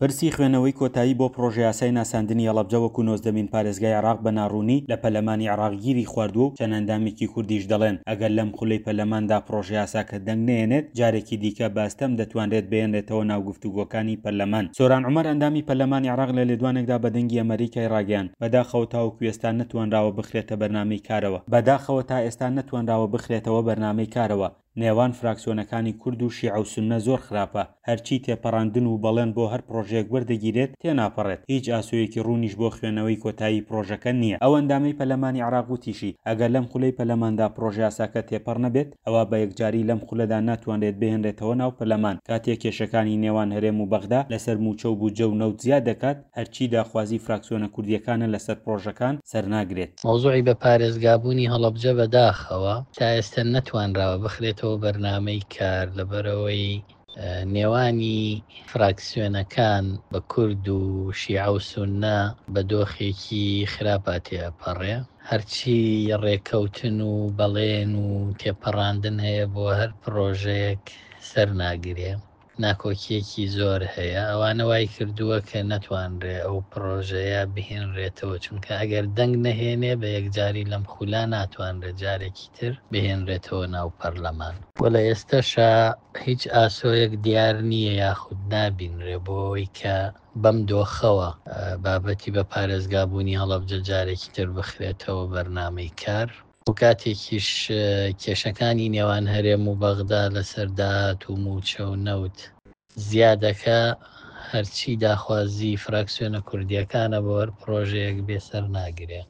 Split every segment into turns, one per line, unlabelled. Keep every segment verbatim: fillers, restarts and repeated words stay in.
پرسی خوێندنەوەی کۆتایی بۆ پڕۆژەیاسای ناساندنی هەڵەبجە وەکو نۆزدەمین پارێزگای عێراق بە ناڕوونی لە پەرلەمانی عێراق گیری خواردووە و چەند ئەندامێکی کوردیش دەڵێن ئەگەر لەم خولەی پەرلەماندا پڕۆژەیاساکە دەنگ نەیەنێت جارێکی دیکە بە ئەستەم دەتوانرێت بهێنرێتەوە ناو گفتوگۆکانی پەرلەمان. سۆران عومەر ئەندامی پەرلەمانی عێراق لە لێدوانێکدا بە دەنگی ئەمەریکای ڕاگەیاند، بەداخەوە تاوەکو ئێستا نەتوانراوە بخرێتە بەرنامەی کارەوە. بەداخەوە تا ئێستا نەتوانراوە بخرێتەوە بەرنامەی کارەوە. نێوان فراکسیۆنەکانی کورد و شیعە و سوننە زۆر خراپە، هەرچی تێپەڕاندن و بەڵێن بۆ هەر پڕۆژەیەک وەردەگیرێت تێناپەڕێت، هیچ ئاسۆیەکی ڕوونیش بۆ خوێندنەوەی کۆتایی پڕۆژەکە نییە. ئەو ئەندامەی پەرلەمانی عێراق وتیشی، ئەگەر لەم خولەی پەرلەماندا پڕۆژەیاساکە تێپەڕ نەبێت، ئەوا بە یەکجاری لەم خولەدا ناتوانرێت بهێنرێتەوە ناو پەرلەمان، کاتێک کێشەکانی نێوان هەرێم و بەغدا لەسەر مووچە و بودجە و نەوت زیاد دەکات، هەرچی داخوازی فراکسیۆنە کوردییەکانە لەسەر پڕۆژەکان سەرناگرێت.
مەوزوعی بە پارێزگابوونی هەڵەبجە بەداخەوە تا ئێستا نەتوانراوە بخرێتەوە بەرنامەی کار، لەبەرەوەی نێوانی فراکسیۆنەکان بە کورد و شیعە و سوننە بە دۆخێکی خراپا تێئەپەڕێ. هەرچی ڕێکەوتن و بەڵێن و تێپەڕاندن هەیە بۆ هەر پرۆژەیەک سەر ناگرێ، ناکۆکیەکی زۆر هەیە. ئەوانە وای کردووە کە نەتوانرێ ئەو پرۆژەیە بهێنرێتەوە، چونکە ئەگەر دەنگ نەهێنێ بە یەکجاری لەم خولا ناتوانرێت جارێکی تر بهێنرێتەوە ناو پەرلەمان. و لە ئێستەشا هیچ ئاسۆیەک دیار نییە یاخود نابینرێ بۆ ئەوەی کە بەم دۆخەوە بابەتی بە پارێزگابوونی هەڵەبجە جارێکی تر بخرێتەوە بەرنامەی کار. و کاتێکیش کێشەکانی نێوان هەرێم و بەغدا لەسەر داهات و موچە و نەوت زیادەکە، هەرچی داخوازی فراکسیۆنە کوردیەکانە بۆ هەر پرۆژەیەک بێسەر ناگرێ.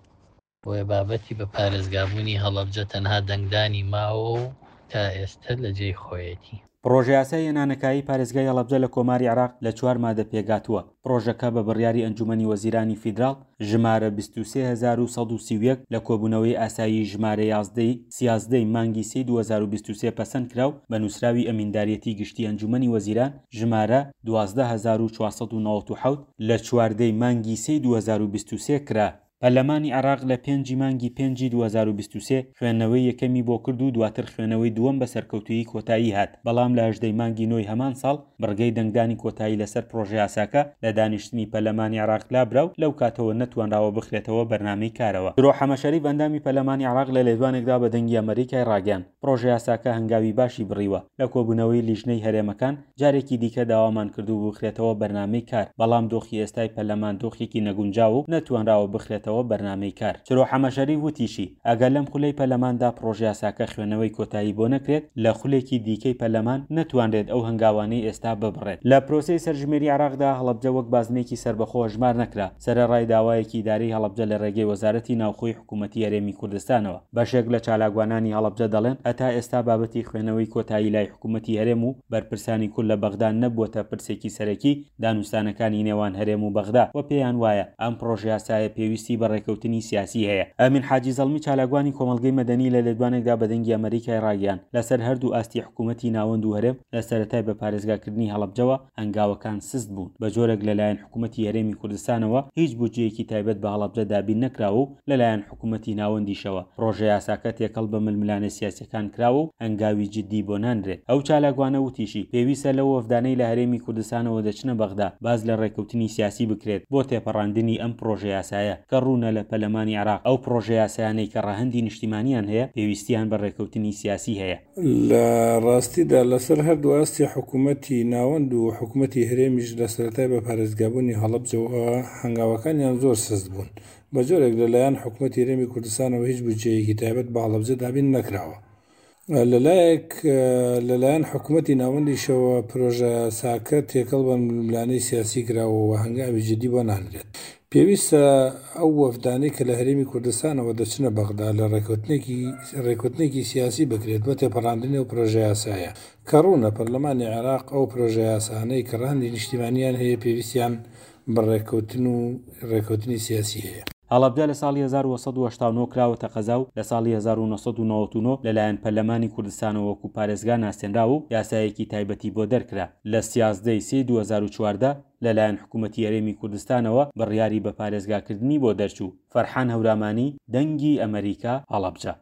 بۆیە بابەتی بە پارێزگابوونی هەڵەبجە تەنها دەنگدانی ماوە و تا ئێستا لە جێی خۆیەتی.
پڕۆژەیاسای هێنانەکایی پارێزگای هەڵەبجە لە کۆماری عێراق لە چوار مادە پێکهاتووە. پڕۆژەکە بە بڕیاری ئەنجومەنی وەزیرانی فیدراڵ ژمارە بیست و سێ هەزار و سەد و سی و یەک لە کۆبوونەوەی ئاسایی ژمارە یازدە ی سیازدە ی مانگی سێی دوو هەزار و بیست و سێ پەسەند کرا و بە نووسراوی ئەمینداریەتی گشتی ئەنجومەنی وەزیران ژمارە دوازدە هەزار و چوار سەد و نەوەد و حەوت لە چواردە ی مانگی سێی دوو هەزار و بیست و سێ کرا. پەرلەمانی عێراق لە پێنجی مانگی پێنجی دوو هەزار و بیست و سێ خوێندنەوەی یەکەمی بۆ کرد و دواتر خوێندنەوەی دووەم بە سەرکەوتوویی کۆتایی هات، بەڵام لە هەژدە ی مانگی نۆی هەمان ساڵ بڕگەی دەنگدانی کۆتایی لەسەر پڕۆژەیاساکە لە دانیشتنی پەرلەمانی عێراق لابرا و لەو کاتەوە نەتوانراوە بخرێتەوە بەرنامەی کارەوە. درۆ حەمەشەریف ئەندامی پەرلەمانی عێراق لە لێدوانێکدا بە دەنگی ئەمەریکای ڕاگەیاند، پڕۆژەیاساکە هەنگاوی باشی بڕیوە، لە کۆبوونەوەی لیژنەی هەرێمەکان جارێکی دیکە داوامان کردوو بخرێتەوە بەرنامەی کار، بەڵام دۆخی ئێستای پەرلەمان دۆخێکی نەگونجاوە و نەتوانراوە بخرێتەوە بەرنامەی کار. چرۆ حەمەشەریف وتیشی، ئەگەر لەم خولەی پەرلەماندا پڕۆژەیاساکە خوێندنەوەی کۆتایی بۆ نەکرێت، لە خولێکی دیکەی پەرلەمان نەتوانرێت ئەو هەنگاوانەی ئێستا ببڕێت. لە پرۆسەی سەرژمێری عێراقدا هەڵەبجە وەک بازنەیەکی سەربەخۆ هەژمار نەکرا، سەرەڕای داوایەکی ئیدارەی هەڵەبجە لە ڕێگەی وەزارەتی ناوخۆی حکوومەتی هەرێمی کوردستانەوە. بەشێک لە چالاکوانانی هەڵەبجە دەڵێن هەتا ئێستا بابەتی خوێندنەوەی کۆتایی لای حکوومەتی هەرێم و بەرپرسانی کورد لە بەغدا نەبووەتە پرسێکی سەرەکی دانوستانەکانی نێوان هەرێم و بەغدا و پێیان وایە ئەم پڕۆژەیاسایە پێویستی بە ڕێکەوتنی سیاسی هەیە. ئەمین حاجی زەڵمی چالاکوانی کۆمەڵگەی مەدەنی لە لێدوانێکدا بە دەنگی ئەمەریکای ڕاگەیاند لەسەر هەردوو ئاستی حکوومەتی ناوەند و هەرێم لە سەرەتای بە پارێزگاکردنی هەڵەبجەوە هەنگاوەکان سست بوون، بە جۆرێک لەلایەن حکوومەتی هەرێمی کوردستانەوە هیچ بودجەیەکی تایبەت بە هەڵەبجە دابین نەکراوە و لەلایەن حکوومەتی ناوەندیشەوە پڕۆژەیاساکە تێکەڵ بە ململانێ سیاسیەکان کراوە و هەنگاوی جدی بۆ نانرێت. ئەو چالاکوانە وتیشی، پێویستە لەو وەفدانەی لە هەرێمی کوردستانەوە دەچنە بەغدا باس لە ڕێککەوتنی سیاسی بکرێت بۆ تێپەڕاندنی ئەم پڕۆژەیاسایە کە ڕوونە لە پەرلەمانی عێراق ئەو پڕۆژەیاسایانەی کە ڕەهەندی نیشتیمانیان هەیە پێویستیان بە ڕێککەوتنی سیاسی هەیە.
لە ڕاستیدا لەسەر هەردوو ئاستی حکوومەتی ناوەند و حکوومەتی هەرێمیش لە سەرەتای بە پارێزگابوونی هەڵەبجەوە هەنگاوەکانیان زۆر سست بوون، بە جۆرێک لەلایەن حکوومەتی هەرێمی کوردستانەوە هیچ بودجەیەکی تایبەت بە هەڵەبجە دابین نەکراوە. لەلایەک لەلایەن حکوومەتی ناوەندیشەوە پرۆژەیاساکە تێکەڵ بە ململانێی سیاسی کراوە و هەنگاوی جدی بۆ نانرێت. پێویستە ئەو وەفدانەی کە لە هەرێمی کوردستانەوە دەچنە بەغدا لە ڕێککەوتنێکی ڕێککەوتنێکی سیاسی بکرێت بۆ تێپەڕاندنی ئەو پرۆژەیاسایە کە ڕوونە پەرلەمانی عێراق ئەو پرۆژەیاسانەی کە ڕەهەندی نیشتیمانیان هەیە پێویستیان بە ڕێککەوتن و ڕێککەوتنی سیاسی هەیە.
هەڵەبجە لە ساڵی هەزار و سەد و هەشتا و نۆ کراوەتە قەزا و لە ساڵی هەزار و نۆ سەد و نەوەد و نۆ لەلایەن پەرلەمانی کوردستانەوە وەکو پارێزگا ناسێنرا و یاسایەکی تایبەتی بۆ دەرکرا. لە سیازدە ی سێی دوو هەزار و چواردە لەلایەن حکوومەتی هەرێمی کوردستانەوە بڕیاری بە پارێزگاکردنی بۆ دەرچوو. فەرحان هەورامانی، دەنگی ئەمەریکا، هەڵەبجە.